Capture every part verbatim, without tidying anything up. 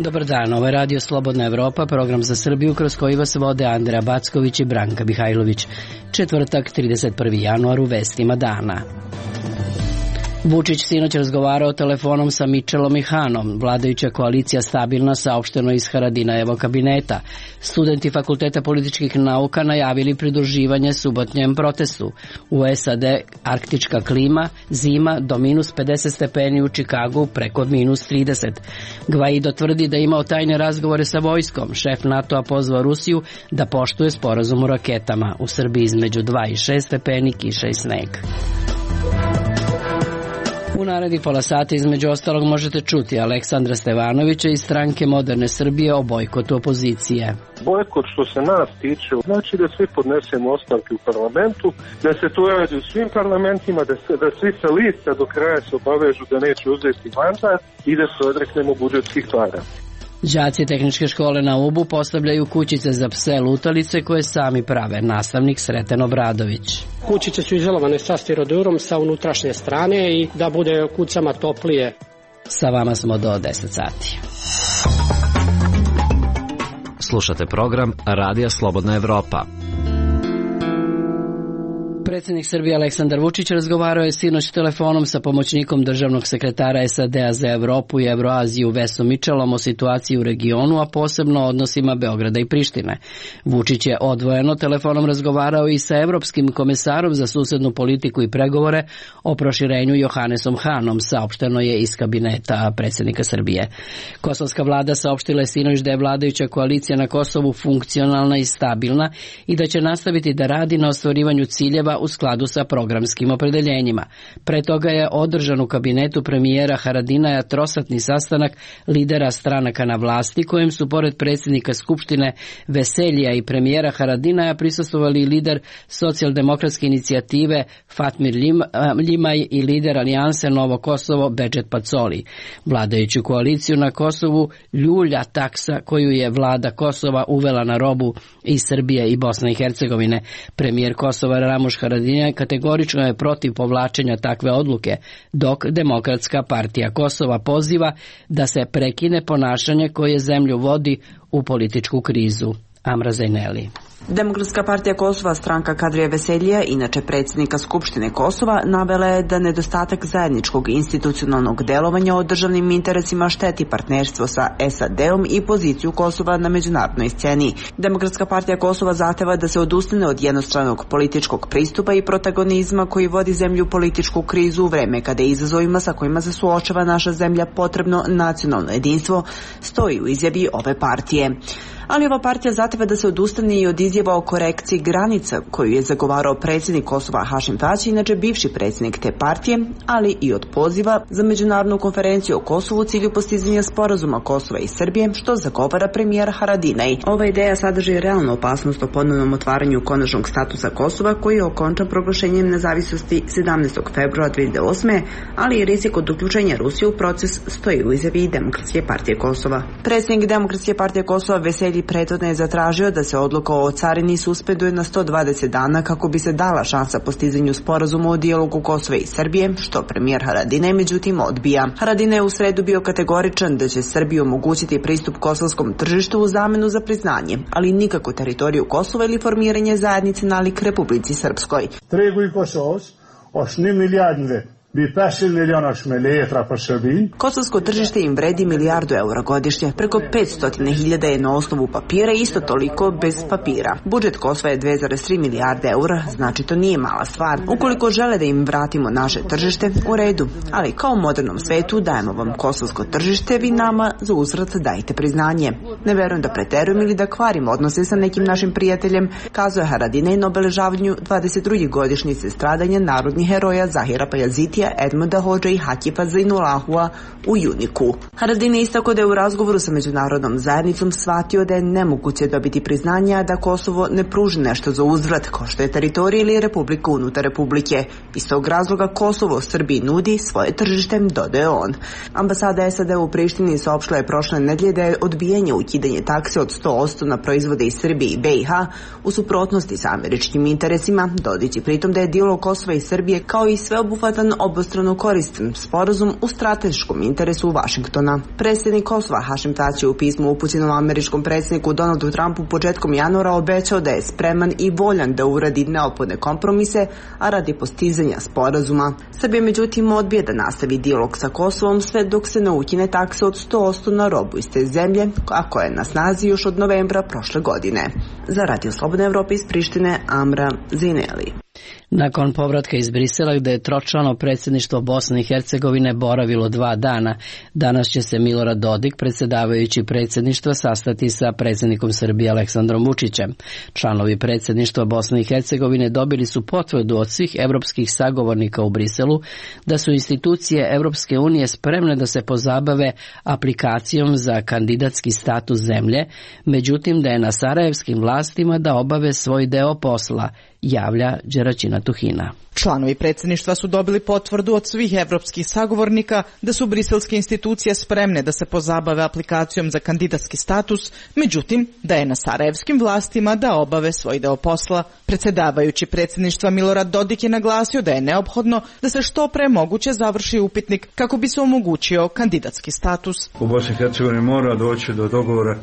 Dobar dan, ovo je Radio Slobodna Evropa, program za Srbiju kroz koji vas vode Andreja Backović i Branka Mihajlović. Četvrtak, trideset prvi januar, u vestima dana. Vučić sinoć razgovarao telefonom sa Mitchellom i Hanom. Vladajuća koalicija stabilna, saopšteno iz Haradinajevog kabineta. Studenti Fakulteta političkih nauka najavili pridruživanje subotnjem protestu. U S A D arktička klima, zima do minus pedeset stepeni, u Čikagu preko minus trideset. Gvaido tvrdi da imao tajne razgovore sa vojskom. Šef NATO-a pozvao Rusiju da poštuje sporazum o raketama. U Srbiji između dva i šest stepeni, kiša i sneg. U narednih pola sata između ostalog možete čuti Aleksandra Stevanovića iz stranke Moderne Srbije o bojkotu opozicije. Bojkot što se nas tiče znači da svi podnesemo ostavke u parlamentu, da se to radi u svim parlamentima, da, se, da svi sa lista do kraja se obavežu da neće uzeti mandat i da se odreknemo budžetskih para. Đaci tehničke škole na Ubu postavljaju kućice za pse lutalice koje sami prave. Nastavnik Sreten Obradović. Kućice su izolovane sa stirodurom sa unutrašnje strane i da bude kucama toplije. Sa vama smo do deset sati. Slušate program Radija Slobodna Evropa. Predsjednik Srbije Aleksandar Vučić razgovarao je sinoć telefonom sa pomoćnikom državnog sekretara S A D-a za Evropu i Evroaziju Vesom Mitchellom o situaciji u regionu, a posebno o odnosima Beograda i Prištine. Vučić je odvojeno telefonom razgovarao i sa evropskim komesarom za susednu politiku i pregovore o proširenju Johannesom Hanom, saopšteno je iz kabineta predsjednika Srbije. Kosovska vlada saopštila je sinoć da je vladajuća koalicija na Kosovu funkcionalna i stabilna i da će nastaviti da radi na ostvarivanju ciljeva u skladu sa programskim opredeljenjima. Pre toga je održan u kabinetu premijera Haradinaja trosatni sastanak lidera stranaka na vlasti, kojem su pored predsjednika Skupštine Veseljija i premijera Haradinaja prisustvovali i lider socijaldemokratske inicijative Fatmir Ljimaj i lider alijanse Novo Kosovo Bedžet Pacoli. Vladajuću koaliciju na Kosovu ljulja taksa koju je vlada Kosova uvela na robu iz Srbije i Bosne i Hercegovine. Premijer Kosova Ramuš Haradinaj kategorično je protiv povlačenja takve odluke, dok Demokratska partija Kosova poziva da se prekine ponašanje koje zemlju vodi u političku krizu. Amra Zajneli. Demokratska partija Kosova, stranka Kadrija Veseljija, inače predsjednika Skupštine Kosova, navela je da nedostatak zajedničkog institucionalnog delovanja o državnim interesima šteti partnerstvo sa S A D-om i poziciju Kosova na međunarodnoj sceni. Demokratska partija Kosova zahteva da se odustane od jednostranog političkog pristupa i protagonizma koji vodi zemlju u političku krizu u vreme kada je izazovima sa kojima se suočava naša zemlja potrebno nacionalno jedinstvo, stoji u izjavi ove partije. Ali ova partija zahteva da se odustane i od izjava o korekciji granica koju je zagovarao predsjednik Kosova Hašim Tači, inače bivši predsjednik te partije, ali i od poziva za međunarodnu konferenciju o Kosovu u cilju postizanja sporazuma Kosova i Srbije, što zagovara premijer Haradinaj. Ova ideja sadrži realnu opasnost o ponovnom otvaranju konačnog statusa Kosova, koji je okončan proglašenjem nezavisnosti sedamnaestog februara dve hiljade osme. ali i rizik od uključenja Rusije u proces, stoji u izjavi Demokratske partije Kosova. Predsjednik Demokratske partije Kosova Veselji prethodno je zatražio da se odluka o carini suspenduje na sto dvadeset dana kako bi se dala šansa postizanju sporazuma o dijalogu Kosova i Srbije, što premijer Haradinaj međutim odbija. Haradinaj je u sredu bio kategoričan da će Srbiji omogućiti pristup kosovskom tržištu u zamenu za priznanje, ali nikako teritoriju Kosova ili formiranje zajednice nalik Republici Srpskoj. Tregu i Kosovos, osni milijardne Kosovsko tržište im vredi milijardu eura godišnje, preko petsto hiljada je na osnovu papira i isto toliko bez papira. Budžet Kosova je dve zarez tri milijarde eura, znači to nije mala stvar. Ukoliko žele da im vratimo naše tržište, u redu, ali kao u modernom svetu dajemo vam kosovsko tržište, vi nama za uzvrat dajte priznanje. Ne verujem da preterujem ili da kvarim odnose sa nekim našim prijateljem, kazuje Haradinaj na obeležavanju dvadeset druge godišnjice stradanja narodnih heroja Zahira Pajazitija, Edmunda Hodža i Hatipa Zainulahua u Juniku. Haradinaj istakao da je u razgovoru sa međunarodnom zajednicom shvatio da je nemoguće dobiti priznanja da Kosovo ne pruži nešto za uzvrat, kao što je teritorija ili republika unutar republike. Iz tog razloga Kosovo Srbiji nudi svoje tržište, dodaje on. Ambasada S A D u Prištini saopštila je prošle nedelje da je odbijanje ukidanje takse od sto posto na proizvode iz Srbije i B i H u suprotnosti sa američkim interesima, dodajući pritom da je dijalog Kosova i Srbije kao i sveobuhvatan oblik obostrano koristan sporazum u strateškom interesu Vašingtona. Predsjednik Kosova Hašim Tači u pismu upućenom američkom predsjedniku Donaldu Trumpu početkom januara obećao da je spreman i voljan da uradi neophodne kompromise, a radi postizanja sporazuma. Srbija međutim odbija da nastavi dijalog sa Kosovom sve dok se ne ukine takse od sto posto na robu iz te zemlje, a koja je na snazi još od novembra prošle godine. Za Radio Slobodna Evropa iz Prištine, Amra Zineli. Nakon povratka iz Brisela gde je tročlano predsjedništvo Bosne i Hercegovine boravilo dva dana, danas će se Milorad Dodik, predsjedavajući predsjedništva, sastati sa predsjednikom Srbije Aleksandrom Vučićem. Članovi predsjedništva Bosne i Hercegovine dobili su potvrdu od svih evropskih sagovornika u Briselu da su institucije Evropske unije spremne da se pozabave aplikacijom za kandidatski status zemlje, međutim da je na sarajevskim vlastima da obave svoj deo posla, javlja Đeraćina Tuhina. Članovi predsjedništva su dobili potvrdu od svih evropskih sagovornika da su briselske institucije spremne da se pozabave aplikacijom za kandidatski status, međutim da je na sarajevskim vlastima da obave svoj deo posla. Predsjedavajući predsjedništva Milorad Dodik je naglasio da je neophodno da se što pre moguće završi upitnik kako bi se omogućio kandidatski status. U Bosni i Hercegovini mora doći do dogovora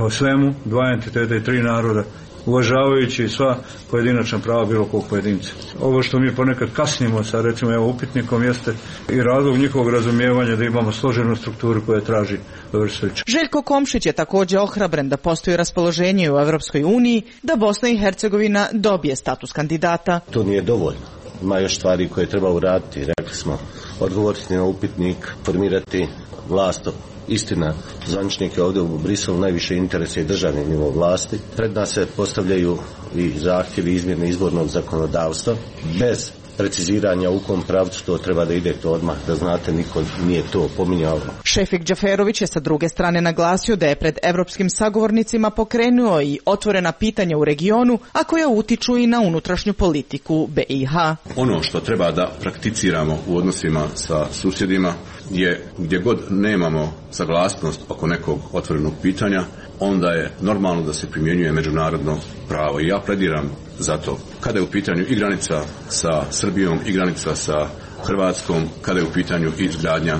o svemu, dva entiteta i tri naroda, uvažavajući sva pojedinačna prava bilo kog pojedinca. Ovo što mi ponekad kasnimo sa recimo evo upitnikom jeste i razlog njihovog razumijevanja da imamo složenu strukturu koja traži vrstić. Željko Komšić je također ohrabren da postoji raspoloženje u Evropskoj uniji da Bosna i Hercegovina dobije status kandidata. To nije dovoljno. Ima još stvari koje treba uraditi. Rekli smo, odgovoriti na upitnik, formirati vlast. Istina, zvaničnike ovdje u Briselu najviše interese i državni nivo vlasti. Pred nas se postavljaju i zahtjevi izmjene izbornog zakonodavstva bez preciziranja u kom pravcu to treba da ide, to odmah da znate, niko nije to pominjao. Šefik Džaferović je sa druge strane naglasio da je pred evropskim sagovornicima pokrenuo i otvorena pitanja u regionu, a koja utiču i na unutrašnju politiku B i H. Ono što treba da prakticiramo u odnosima sa susjedima je gdje god nemamo saglasnost oko nekog otvorenog pitanja, onda je normalno da se primjenjuje međunarodno pravo i ja plediram za to. Kada je u pitanju i granica sa Srbijom i granica sa Hrvatskom, kada je u pitanju i izgradnja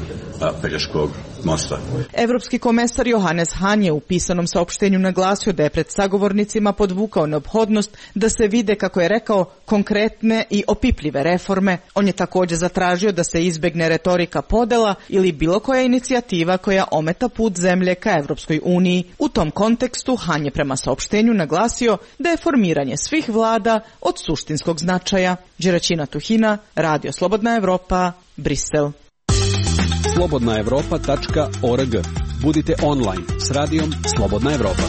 Pelješkog mosta. Evropski komesar Johannes Hahn je u pisanom saopštenju naglasio da je pred sagovornicima podvukao neophodnost da se vide, kako je rekao, konkretne i opipljive reforme. On je također zatražio da se izbegne retorika podela ili bilo koja inicijativa koja ometa put zemlje ka Evropskoj uniji. U tom kontekstu Hahn je prema saopštenju naglasio da je formiranje svih vlada od suštinskog značaja. Đeraćina Tuhina, Radio Slobodna Evropa, Brisel. slobodna evropa tačka org. Budite online s radijom Slobodna Evropa.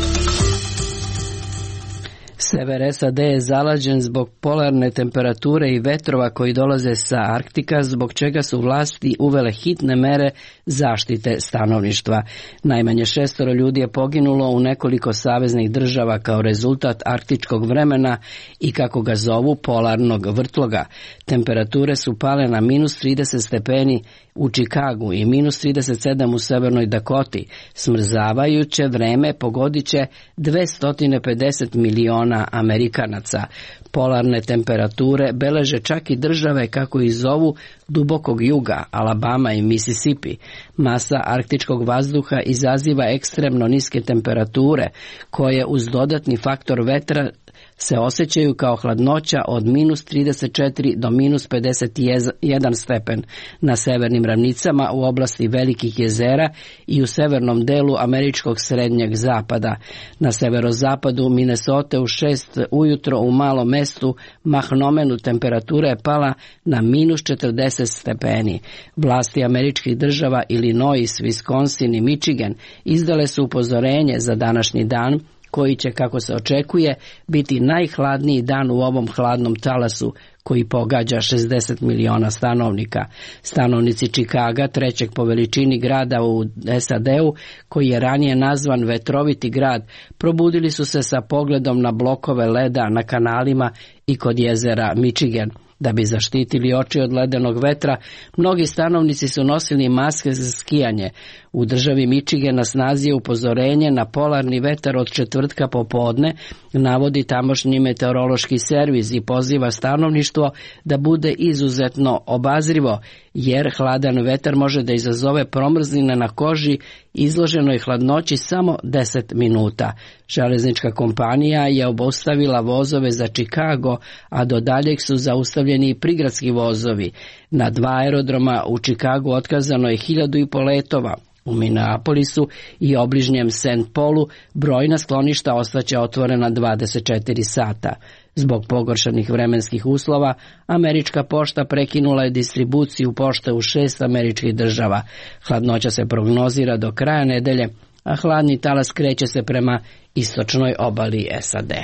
Sever S A D je zalađen zbog polarne temperature i vetrova koji dolaze sa Arktika, zbog čega su vlasti uvele hitne mere zaštite stanovništva. Najmanje šestoro ljudi je poginulo u nekoliko saveznih država kao rezultat arktičkog vremena i, kako ga zovu, polarnog vrtloga. Temperature su pale na minus trideset stepeni u Čikagu i minus trideset sedam u Severnoj Dakoti. Smrzavajuće vreme pogodit će dvesta pedeset miliona Amerikanaca. Polarne temperature beleže čak i države kako ih zovu dubokog juga, Alabama i Mississippi. Masa arktičkog vazduha izaziva ekstremno niske temperature koje uz dodatni faktor vetra se osjećaju kao hladnoća od minus trideset četiri do minus pedeset jedan stepen na severnim ravnicama u oblasti velikih jezera i u severnom delu američkog srednjeg zapada. Na severozapadu Minnesota u šest ujutro u malom mestu Mahnomenu temperatura je pala na minus četrdeset stepeni. Vlasti američkih država Illinois, Wisconsin i Michigan izdale su upozorenje za današnji dan, koji će, kako se očekuje, biti najhladniji dan u ovom hladnom talasu koji pogađa šezdeset miliona stanovnika. Stanovnici Čikaga, trećeg po veličini grada u S A D-u, koji je ranije nazvan vetroviti grad, probudili su se sa pogledom na blokove leda na kanalima i kod jezera Michigan. Da bi zaštitili oči od ledenog vetra, mnogi stanovnici su nosili maske za skijanje. U državi Michigan na snazi je upozorenje na polarni vetar od četvrtka popodne, navodi tamošnji meteorološki servis i poziva stanovništvo da bude izuzetno obazrivo, jer hladan vetar može da izazove promrzline na koži izloženoj hladnoći samo deset minuta. Železnička kompanija je obustavila vozove za Chicago, a do daljeg su zaustavljeni i prigradski vozovi. Na dva aerodroma u Chicagu otkazano je hiljadu i po letova. U Minneapolisu i obližnjem Saint Paulu brojna skloništa ostaće otvorena dvadeset četiri sata. Zbog pogoršanih vremenskih uslova, američka pošta prekinula je distribuciju pošte u šest američkih država. Hladnoća se prognozira do kraja nedelje, a hladni talas kreće se prema istočnoj obali S A D.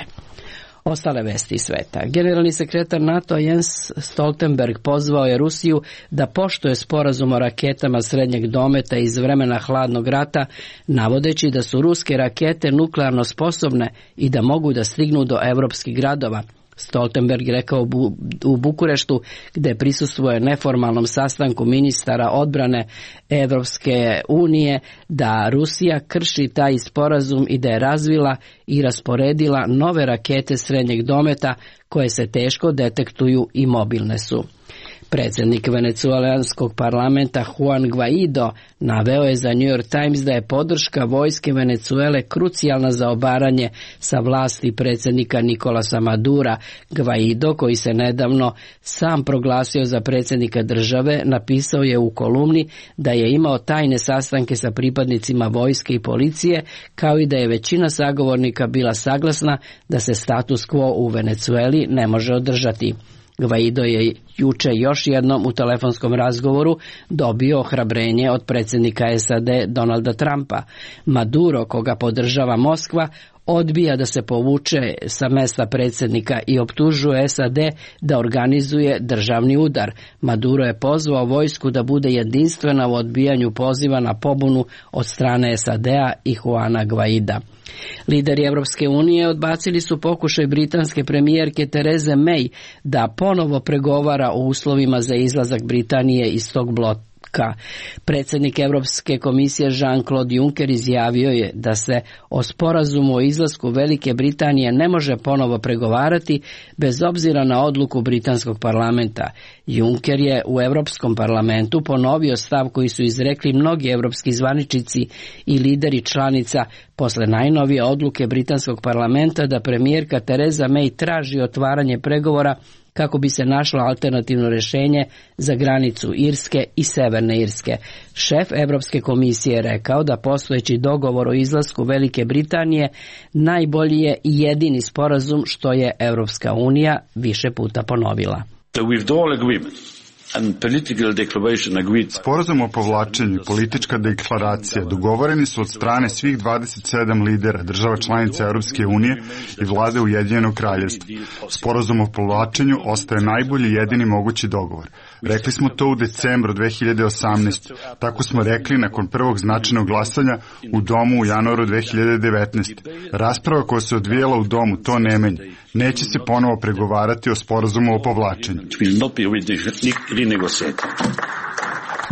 Ostale vesti sveta. Generalni sekretar NATO Jens Stoltenberg pozvao je Rusiju da poštuje sporazum o raketama srednjeg dometa iz vremena hladnog rata, navodeći da su ruske rakete nuklearno sposobne i da mogu da stignu do evropskih gradova. Stoltenberg rekao u Bukureštu, gde prisustvuje neformalnom sastanku ministara odbrane Evropske unije, da Rusija krši taj sporazum i da je razvila i rasporedila nove rakete srednjeg dometa koje se teško detektuju i mobilne su. Predsjednik venecuelanskog parlamenta Juan Guaido naveo je za New York Times da je podrška vojske Venecuele krucijalna za obaranje sa vlasti predsjednika Nicolasa Madura. Guaido, koji se nedavno sam proglasio za predsjednika države, napisao je u kolumni da je imao tajne sastanke sa pripadnicima vojske i policije, kao i da je većina sagovornika bila saglasna da se status quo u Venecueli ne može održati. Guaido je juče još jednom u telefonskom razgovoru dobio ohrabrenje od predsjednika S A D Donalda Trumpa. Maduro, koga podržava Moskva, odbija da se povuče sa mesta predsjednika i optužuje S A D da organizuje državni udar. Maduro je pozvao vojsku da bude jedinstvena u odbijanju poziva na pobunu od strane S A D-a i Juana Guaida. Lideri Evropske unije odbacili su pokušaj britanske premijerke Tereze May da ponovo pregovara o uslovima za izlazak Britanije iz tog bloka. Predsjednik Evropske komisije Jean-Claude Juncker izjavio je da se o sporazumu o izlasku Velike Britanije ne može ponovo pregovarati bez obzira na odluku britanskog parlamenta. Juncker je u Europskom parlamentu ponovio stav koji su izrekli mnogi evropski zvaničnici i lideri članica posle najnovije odluke britanskog parlamenta da premijerka Tereza May traži otvaranje pregovora kako bi se našlo alternativno rješenje za granicu Irske i Severne Irske. Šef Evropske komisije je rekao da postojeći dogovor o izlasku Velike Britanije najbolji je i jedini sporazum, što je Evropska unija više puta ponovila. The withdrawal agreement and political declaration agreed. Sporazum o povlačenju i politička deklaracija dogovoreni su od strane svih dvadeset sedam lidera država članica Europske unije i vlade Ujedinjenog kraljevstva. Sporazum o povlačenju ostaje najbolji i jedini mogući dogovor. Rekli smo to u decembru dve hiljade osamnaeste. Tako smo rekli nakon prvog značajnog glasanja u domu u januaru dve hiljade devetnaeste. Rasprava koja se odvijela u domu to ne menja. Neće se ponovo pregovarati o sporazumu o povlačenju.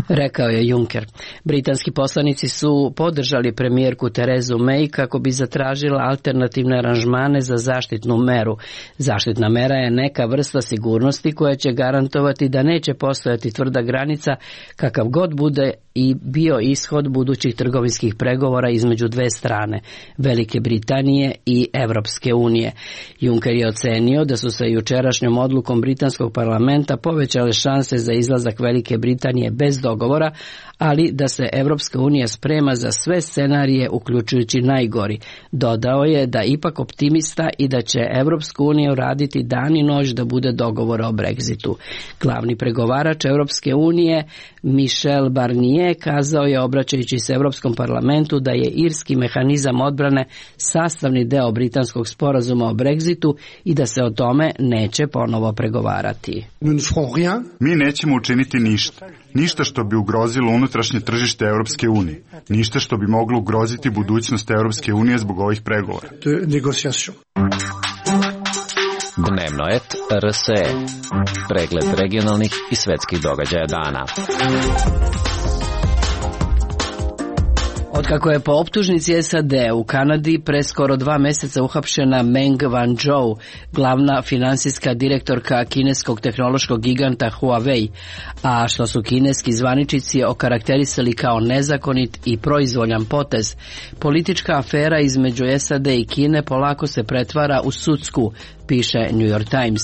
Rekao je Juncker. Britanski poslanici su podržali premijerku Terezu May kako bi zatražila alternativne aranžmane za zaštitnu meru. Zaštitna mera je neka vrsta sigurnosti koja će garantovati da neće postojati tvrda granica kakav god bude i bio ishod budućih trgovinskih pregovora između dve strane, Velike Britanije i Evropske unije. Juncker je ocenio da su sa jučerašnjom odlukom britanskog parlamenta povećale šanse za izlazak Velike Britanije bez dogovora, ali da se Evropska unija sprema za sve scenarije uključujući najgori. Dodao je da ipak optimista i da će Evropsku uniju raditi dan i noć da bude dogovor o Brexitu. Glavni pregovarač Evropske unije Michel Barnier kazao je, obraćajući se Evropskom parlamentu, da je irski mehanizam odbrane sastavni deo britanskog sporazuma o Brexitu i da se o tome neće ponovo pregovarati. Mi nećemo učiniti ništa. Ništa što bi ugrozilo unutrašnje tržište Europske unije. Ništa što bi moglo ugroziti budućnost Europske unije zbog ovih pregovora. Dnevnoet R S E. Pregled regionalnih i svetskih događaja dana. Otkako je po optužnici S A D u Kanadi pre skoro dva meseca uhapšena Meng Wanzhou, glavna finansijska direktorka kineskog tehnološkog giganta Huawei, a što su kineski zvaničnici okarakterisali kao nezakonit i proizvoljan potez, politička afera između S A D i Kine polako se pretvara u sudsku, piše New York Times.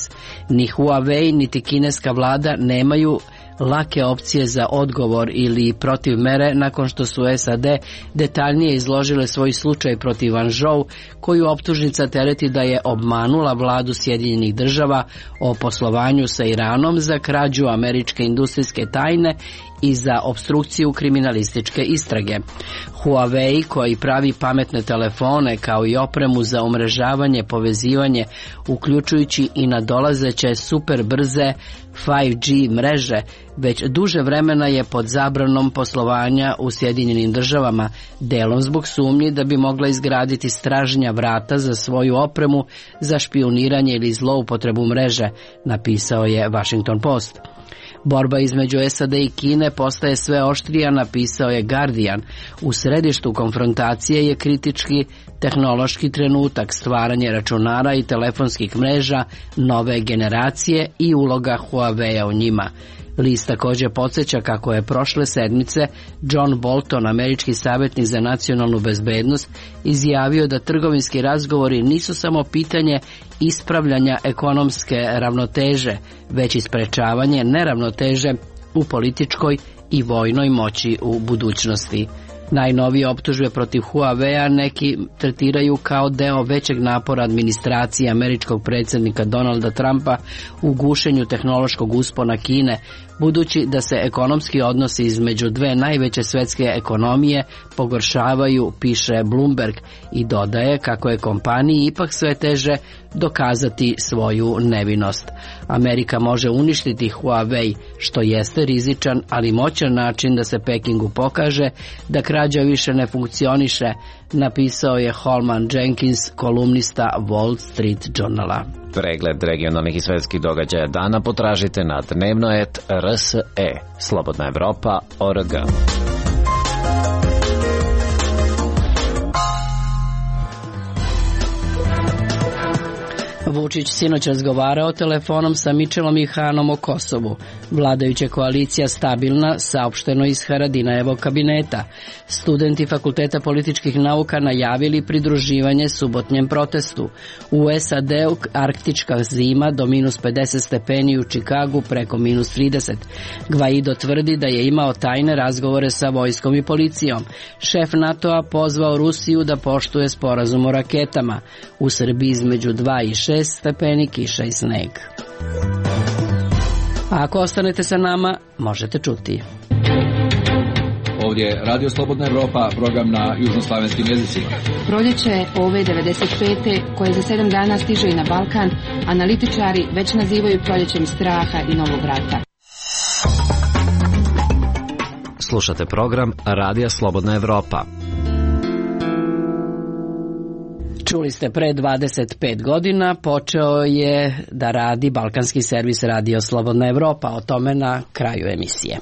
Ni Huawei niti kineska vlada nemaju lake opcije za odgovor ili protiv mere nakon što su S A D detaljnije izložile svoj slučaj protiv Wanzhou, koju optužnica tereti da je obmanula vladu Sjedinjenih država o poslovanju sa Iranom za krađu američke industrijske tajne i za opstrukciju kriminalističke istrage. Huawei, koji pravi pametne telefone kao i opremu za umrežavanje, povezivanje, uključujući i nadolazeće super brze pet G mreže, već duže vremena je pod zabranom poslovanja u Sjedinjenim državama, delom zbog sumnji da bi mogla izgraditi stražnja vrata za svoju opremu za špijuniranje ili zloupotrebu mreže, napisao je Washington Post. Borba između S A D i Kine postaje sve oštrija, napisao je Guardian. U središtu konfrontacije je kritički tehnološki trenutak, stvaranje računara i telefonskih mreža nove generacije i uloga Huawei-a u njima. List također podsjeća kako je prošle sedmice John Bolton, američki savjetnik za nacionalnu bezbednost, izjavio da trgovinski razgovori nisu samo pitanje ispravljanja ekonomske ravnoteže, već i sprečavanje neravnoteže u političkoj i vojnoj moći u budućnosti. Najnovije optužbe protiv Huawei-a neki tretiraju kao deo većeg napora administracije američkog predsjednika Donalda Trumpa u gušenju tehnološkog uspona Kine, budući da se ekonomski odnosi između dve najveće svetske ekonomije pogoršavaju, piše Bloomberg, i dodaje kako je kompaniji ipak sve teže dokazati svoju nevinost. Amerika može uništiti Huawei, što jeste rizičan, ali moćan način da se Pekingu pokaže da krađa više ne funkcioniše, napisao je Holman Jenkins, kolumnista Wall Street Journala. Pregled regionalnih i svetskih događaja dana potražite na Dnevnoet R S E. Slobodna Evropa O R G. Vučić sinoć razgovarao telefonom sa Mičelom i Hanom o Kosovu. Vladajuća koalicija stabilna, saopšteno iz Haradinajevog kabineta. Studenti Fakulteta političkih nauka najavili pridruživanje subotnjem protestu. U S A D-u arktička zima do minus pedeset stepeni, u Čikagu preko minus trideset. Gvaido tvrdi da je imao tajne razgovore sa vojskom i policijom. Šef NATO-a pozvao Rusiju da poštuje sporazum o raketama. U Srbiji između dva i šest stepeni, kiša i sneg. A ako ostanete sa nama, možete čuti. Ovdje je Radio Slobodna Evropa, program na južnoslavenskim jezicima. Proljeće ove devedeset pete koje za sedam dana stiže i na Balkan, analitičari već nazivaju proljećem straha i novog rata. Slušate program Radija Slobodna Evropa. Čuli ste, pre dvadeset pet godina počeo je da radi balkanski servis Radio Slobodna Evropa, o tome na kraju emisije.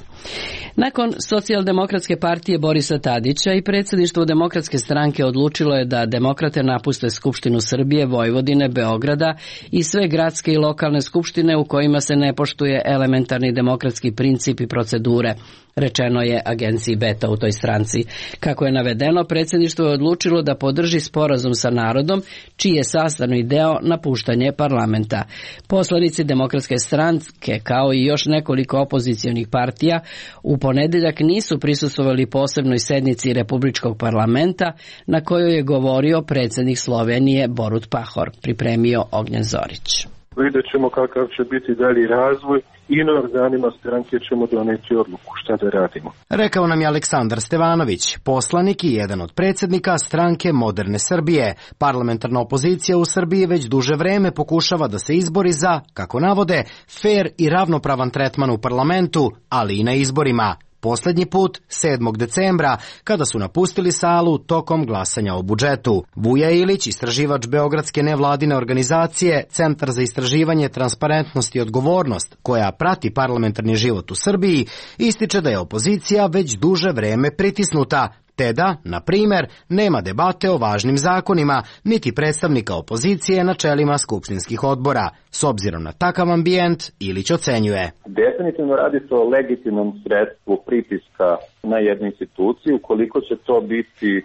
Nakon Socijaldemokratske partije Borisa Tadića i predsjedništvo Demokratske stranke odlučilo je da demokrate napuste Skupštinu Srbije, Vojvodine, Beograda i sve gradske i lokalne skupštine u kojima se ne poštuje elementarni demokratski princip i procedure, rečeno je agenciji Beta u toj stranci. Kako je navedeno, predsjedništvo je odlučilo da podrži sporazum sa narodom, čiji je sastavni deo napuštanje parlamenta. Poslanici Demokratske stranke, kao i još nekoliko opozicionih partija, u ponedeljak nisu prisustvovali posebnoj sednici Republičkog parlamenta na kojoj je govorio predsjednik Slovenije Borut Pahor, pripremio Ognjen Zorić. Vidjet ćemo kakav će biti dalji razvoj i na organima stranke ćemo doneti odluku šta da radimo. Rekao nam je Aleksandar Stevanović, poslanik i jedan od predsjednika stranke Moderne Srbije. Parlamentarna opozicija u Srbiji već duže vreme pokušava da se izbori za, kako navode, fer i ravnopravan tretman u parlamentu, ali i na izborima. poslednji put sedmog decembra, kada su napustili salu tokom glasanja o budžetu. Vuja Ilić, istraživač Beogradske nevladine organizacije Centar za istraživanje transparentnosti i odgovornost, koja prati parlamentarni život u Srbiji, ističe da je opozicija već duže vreme pritisnuta, te da, na primer, nema debate o važnim zakonima, niti predstavnika opozicije na čelima skupštinskih odbora. S obzirom na takav ambijent, Ilić ocenjuje. Definitivno radi se o legitimnom sredstvu pritiska na jednu instituciju. Koliko će to biti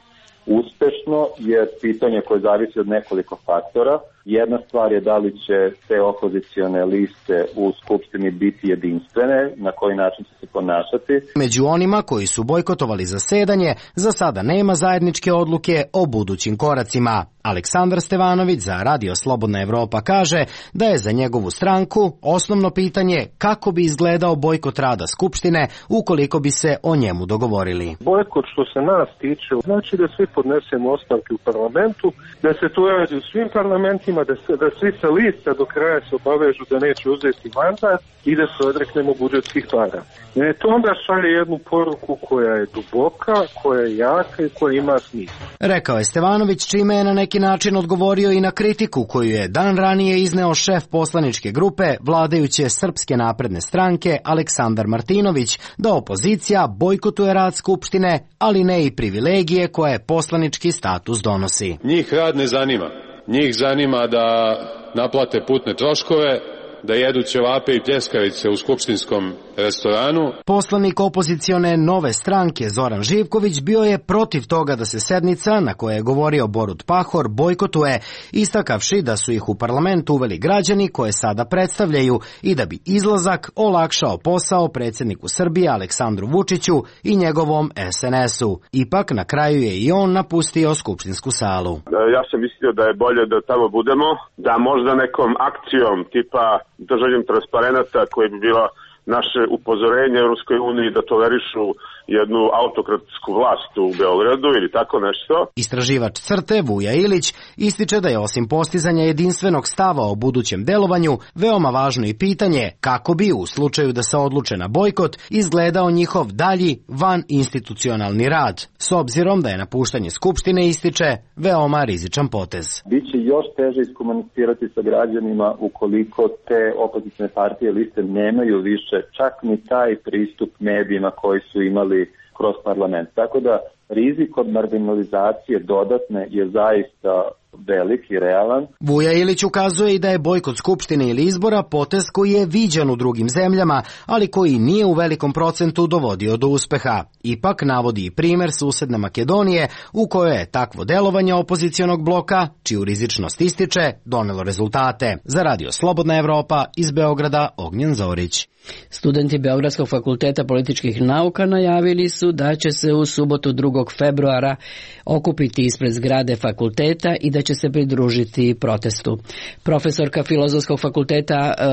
uspešno je pitanje koje zavisi od nekoliko faktora. Jedna stvar je da li će te opozicione liste u Skupštini biti jedinstvene, na koji način će se ponašati. Među onima koji su bojkotovali zasedanje, za sada nema zajedničke odluke o budućim koracima. Aleksandar Stevanović za Radio Slobodna Evropa kaže da je za njegovu stranku osnovno pitanje kako bi izgledao bojkot rada Skupštine ukoliko bi se o njemu dogovorili. Bojkot što se nas tiče znači da svi podnesemo ostavke u parlamentu, da se to radi u svim parlamentima, da, se, da svi sa lista do kraja se obavežu da neće uzeti mandat i da se odreknemo budžetskih para. E, to onda šalje jednu poruku koja je duboka, koja je jaka i koja ima smisla. Rekao je Stevanović, čime je na neki način odgovorio i na kritiku koju je dan ranije izneo šef poslaničke grupe vladajuće Srpske napredne stranke Aleksandar Martinović, da opozicija bojkotuje rad Skupštine, ali ne i privilegije koje poslanički status donosi. Njih rad ne zanima. Njih zanima da naplate putne troškove, da jedu ćevape i pljeskavice u skupštinskom restoranu. Poslanik opozicione Nove stranke Zoran Živković bio je protiv toga da se sednica, na kojoj je govorio Borut Pahor, bojkotuje, istakavši da su ih u parlamentu uveli građani koje sada predstavljaju i da bi izlazak olakšao posao predsjedniku Srbije Aleksandru Vučiću i njegovom es en esu. Ipak na kraju je i on napustio skupštinsku salu. Ja sam mislio da je bolje da tamo budemo, da možda nekom akcijom tipa držanjem transparenata koji bi bila naše upozorenje Europskoj uniji da tolerišu jednu autokratsku vlast u Beogradu ili tako nešto. Istraživač Crte Vuja Ilić ističe da je osim postizanja jedinstvenog stava o budućem delovanju veoma važno i pitanje kako bi u slučaju da se odluče na bojkot izgledao njihov dalji van institucionalni rad, s obzirom da je napuštanje Skupštine, ističe, veoma rizičan potez. Biće još teže iskomunicirati sa građanima ukoliko te opozicione partije liste nemaju više čak ni taj pristup medijima koji su imali kroz parlament. Tako da rizik od marginalizacije dodatne je zaista velik i realan. Vuja Ilić ukazuje i da je bojkot Skupštine ili izbora potez koji je viđan u drugim zemljama, ali koji nije u velikom procentu dovodio do uspeha. Ipak navodi i primer susedne Makedonije u kojoj je takvo delovanje opozicionog bloka, čiju rizičnost ističe, donelo rezultate. Za Radio Slobodna Evropa iz Beograda, Ognjen Zorić. Studenti Beogradskog fakulteta političkih nauka najavili su da će se u subotu drugog februara okupiti ispred zgrade fakulteta i da će se pridružiti protestu. Profesorka Filozofskog fakulteta e,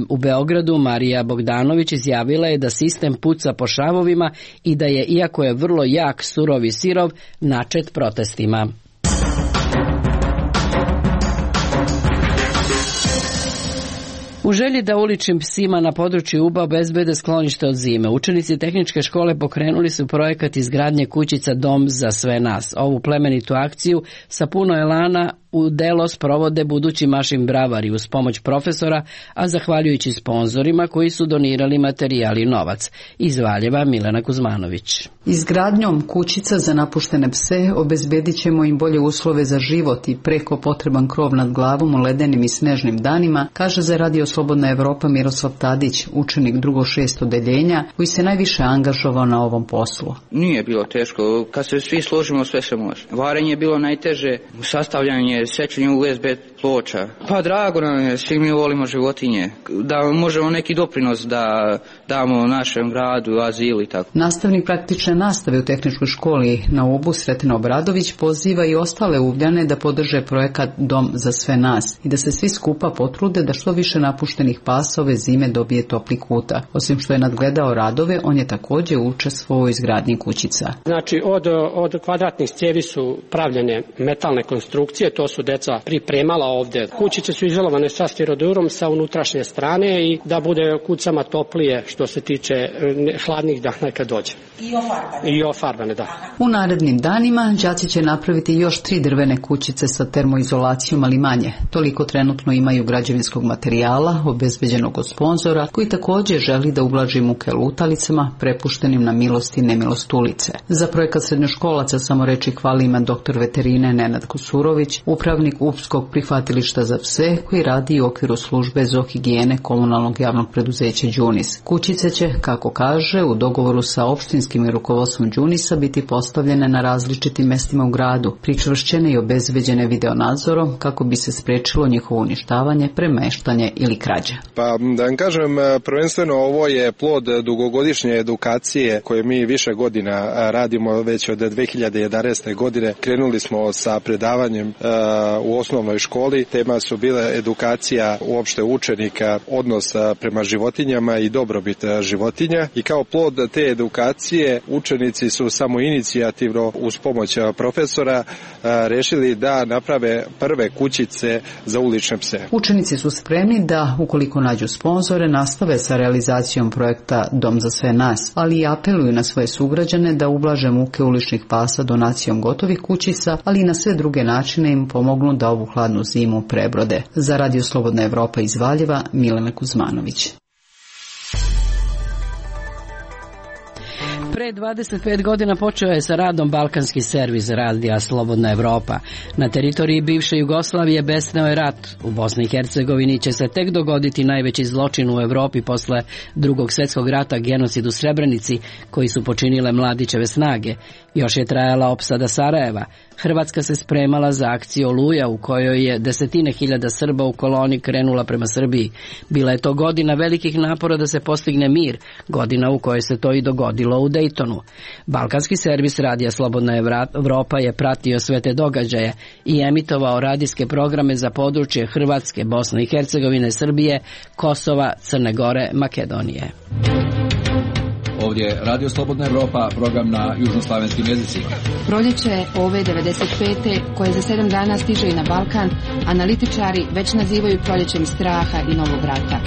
u Beogradu Marija Bogdanović izjavila je da sistem puca po šavovima i da je, iako je vrlo jak surovi sirov, načet protestima. U želji da uličnim psima na području Uba obezbede sklonište od zime, učenici tehničke škole pokrenuli su projekat izgradnje kućica Dom za sve nas. Ovu plemenitu akciju sa puno elana u delo sprovode budući mašin bravari uz pomoć profesora, a zahvaljujući sponzorima koji su donirali materijal i novac. Iz Valjeva Milena Kuzmanović. Izgradnjom kućica za napuštene pse obezbedit ćemo im bolje uslove za život i preko potreban krov nad glavom u ledenim i snežnim danima, kaže za Radio Slobodna Evropa Miroslav Tadić, učenik drugog šest odeljenja, koji se najviše angažovao na ovom poslu. Nije bilo teško, kad se svi složimo sve se može. Varenje je bilo najteže, sastavljanje, sećanje u es be ploča. Pa drago nam je, svi mi volimo životinje, da možemo neki doprinos da damo našem gradu, azilu i tako. Nastavnik praktične nastave u tehničkoj školi na Ubu Sretina Obradović poziva i ostale Ugljane da podrže projekat Dom za sve nas i da se svi skupa potrude da što više napuštenih pasa ove zime dobije topli kuta. Osim što je nadgledao radove, on je također učestvovao u izgradnji kućica. Znači od, od kvadratnih cijevi su pravljene metalne konstrukcije, to su deca pripremala ovde. Kućice su izolovane sa stirodurom sa unutrašnje strane i da bude kucama toplije što se tiče hladnih dana kad dođe. I ofarbane. I ofarbane, da. U narednim danima đaci će napraviti još tri drvene kućice sa termoizolacijom, ali manje. Toliko trenutno imaju građevinskog materijala, obezbeđenog od sponzora, koji također želi da ublaži muke lutalicama, prepuštenim na milost i nemilost ulice. Za projekat srednjoškolaca samo reči hvali ima doktor veterine Nenad Kusurović, upravnik Upskog prihvatilišta za pse, koji radi u okviru službe zoohigijene komunalnog javnog preduzeća Đunis. Kućice će, kako kaže, u dogovoru sa opštinskim i rukovodstvom Đunisa biti postavljene na različitim mestima u gradu, pričvršćene i obezbeđene videonadzorom kako bi se sprečilo njihovo uništavanje, premeštanje ili krađa. Pa da vam kažem, prvenstveno ovo je plod dugogodišnje edukacije koje mi više godina radimo, već od dve hiljade jedanaeste. godine. Krenuli smo sa predavanjem uh, u osnovnoj školi. Tema su bile edukacija uopšte učenika, odnos prema životinjama i dobrobit životinja. I kao plod te edukacije učenici su samo inicijativno uz pomoć profesora uh, rešili da naprave prve kućice za ulične pse. Učenici su spremni da, ukoliko nađu sponzore, nastave sa realizacijom projekta Dom za sve nas, ali i apeluju na svoje sugrađane da ublaže muke uličnih pasa donacijom gotovih kućica, ali i na sve druge načine im pomognu da ovu hladnu zimu prebrode. Za Radio Slobodna Evropa iz Valjeva, Milena Kuzmanović. Pre dvadeset pet godina počeo je sa radom balkanski servis Radija Slobodna Evropa. Na teritoriji bivše Jugoslavije besneo je rat. U Bosni i Hercegovini će se tek dogoditi najveći zločin u Evropi posle Drugog svjetskog rata, genocid u Srebrenici, koji su počinile Mladićeve snage. Još je trajala opsada Sarajeva. Hrvatska se spremala za akciju Oluja, u kojoj je desetine hiljada Srba u koloni krenula prema Srbiji. Bila je to godina velikih napora da se postigne mir, godina u kojoj se to i dogodilo u Dejtonu. Balkanski servis Radija Slobodna Evropa je pratio sve te događaje i emitovao radijske programe za područje Hrvatske, Bosne i Hercegovine, Srbije, Kosova, Crne Gore, Makedonije. Ovdje je Radio Slobodna Evropa, program na južnoslavenskim jezicima. Proljeće ove devedeset pete koje za sedam dana stiže i na Balkan, analitičari već nazivaju proljećem straha i novog rata.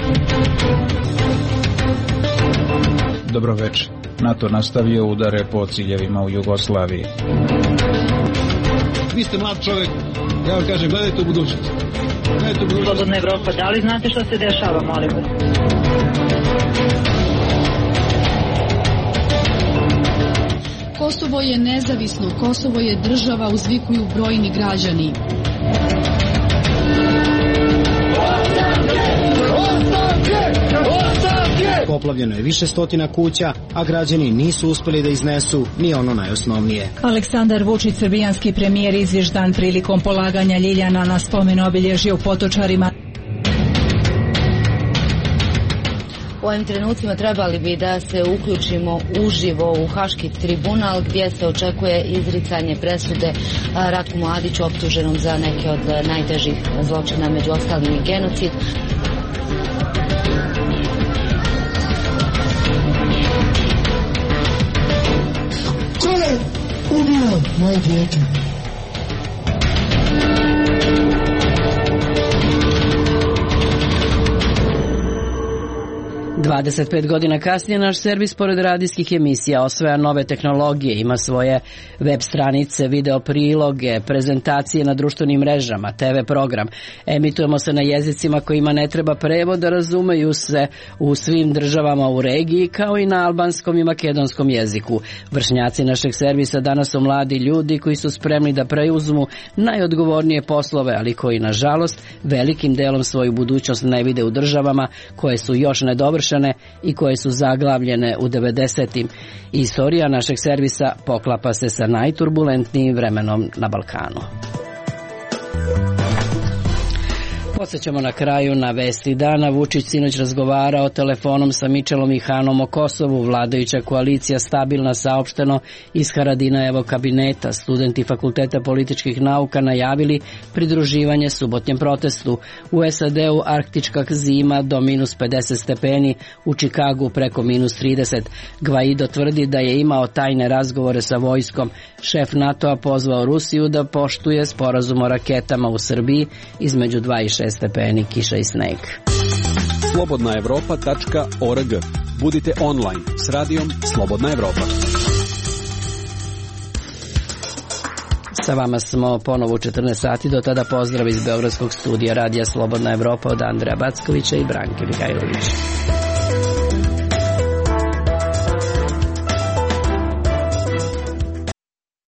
Dobro večer. NATO nastavio udare po ciljevima u Jugoslaviji. Vi ste mlad čovjek, ja vam kažem, gledajte u budućnost. Gledajte u budućnost. Slobodna Evropa, da li znate što se dešava, molim vas? Kosovo je nezavisno, Kosovo je država, uzvikuju brojni građani. Poplavljeno je više stotina kuća, a građani nisu uspeli da iznesu ni ono najosnovnije. Aleksandar Vučić, srbijanski premijer, izvještan prilikom polaganja ljiljana na spomen obilježje u Potočarima. U ovim trenucima trebali bi da se uključimo uživo u Haški tribunal gdje se očekuje izricanje presude Ratku Mladiću optuženom za neke od najtežih zločina, među ostalim i genocid. Ko je ubio moje dijete? dvadeset pet godina kasnije naš servis pored radijskih emisija osvaja nove tehnologije, ima svoje web stranice, video priloge, prezentacije na društvenim mrežama, te ve program. Emitujemo se na jezicima kojima ne treba prevod, da razumeju se u svim državama u regiji, kao i na albanskom i makedonskom jeziku. Vršnjaci našeg servisa danas su mladi ljudi koji su spremni da preuzmu najodgovornije poslove, ali koji nažalost velikim delom svoju budućnost ne vide u državama koje su još nedovršene i koje su zaglavljene u devedesetim. Istorija našeg servisa poklapa se sa najturbulentnijim vremenom na Balkanu. Podsećamo na kraju na vesti dana. Vučić sinoć razgovarao telefonom sa Mičelom i Hanom o Kosovu. Vladajuća koalicija stabilna, saopšteno iz Haradinajevog kabineta. Studenti Fakulteta političkih nauka najavili pridruživanje subotnjem protestu. U S A D-u arktička zima do minus pedeset stepeni, u Čikagu preko minus trideset. Gvaido tvrdi da je imao tajne razgovore sa vojskom. Šef NATO-a pozvao Rusiju da poštuje sporazum o raketama u Srbiji između dva i šest stepeni, kiša i sneg. slobodna evropa tačka org. Budite online s radijom Slobodna Evropa. Sa vama smo ponovo u četrnaest sati, do tada pozdrav iz Beogradskog studija Radija Slobodna Evropa od Andreja Backovića i Branke Mihajlovića.